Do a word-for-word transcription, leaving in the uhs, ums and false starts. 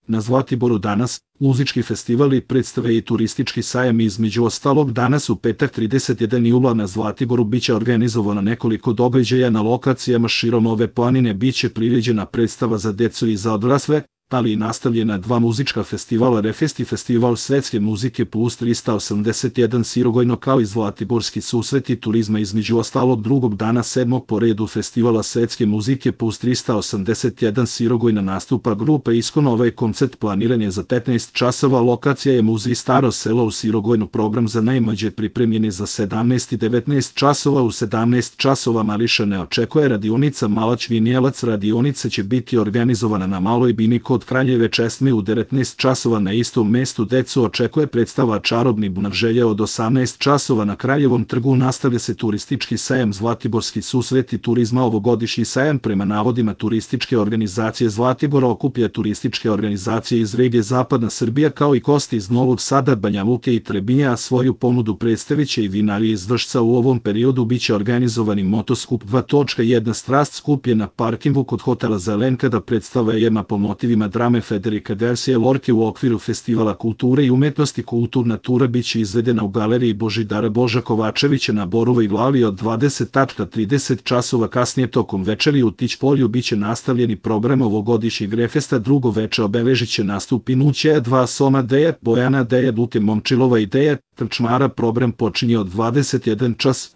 Na Zlatiboru danas, muzički festivali, predstave i turistički sajam. Između ostalog, danas u petak trideset jedan jula na Zlatiboru biće organizovano nekoliko događaja na lokacijama širom ove planine. Biće priređena predstava za decu i za odrasle, ali i nastavljena dva muzička festivala, Refest i Festival svetske muzike plus trista osamdeset jedan Sirogojno, kao i Zlatiborski susreti turizma. Između ostalog, drugog dana sedmog po redu Festivala svetske muzike plus trista osamdeset jedan Sirogojna nastupa grupa Iskon. Ovaj koncert planiran je za petnaest časova, lokacija je Muzej Staro selo u Sirogojnu. Program za najmlađe pripremljen je za sedamnaest i devetnaest časova. U sedamnaest časova Mariša ne očekuje radionica Malać Vinjelac. Radionica će biti organizovana na Maloj bini kod Kraljeve česme. U devetnaest časova na istom mestu decu očekuje predstava Čarobni bunar želje. Od osamnaest časova na Kraljevom trgu nastavlja se turistički sajam Zlatiborski susreti turizma. Ovogodišnji sajam, prema navodima turističke organizacije Zlatibora, okuplja turističke organizacije iz regije Zapadna Srbija kao i gosti iz Novog Sada, Banja Luke i Trebinja, a svoju ponudu predstaviće i vinari iz Vršca. U ovom periodu biće organizovani motoskup dva točka jedan Strast, skup je na parkingu kod hotela Zelenka, da predstava jedna po motivima drame Federika Garcia Lorke u okviru Festivala kulture i umetnosti. Kulturna tura biće izvedena u galeriji Božidara Boža Kovačevića na Borovoj glali od dvadeset do trideset časova. Kasnije tokom večeri u Tić-polju biće nastavljeni program ovogodišnjeg Refesta. Drugo veče obeležit će nastup Inućeja dva, Soma Deja, Bojana Deja, Luke Momčilova i Deja Trčmara. Program počinje od dvadeset jedan čas.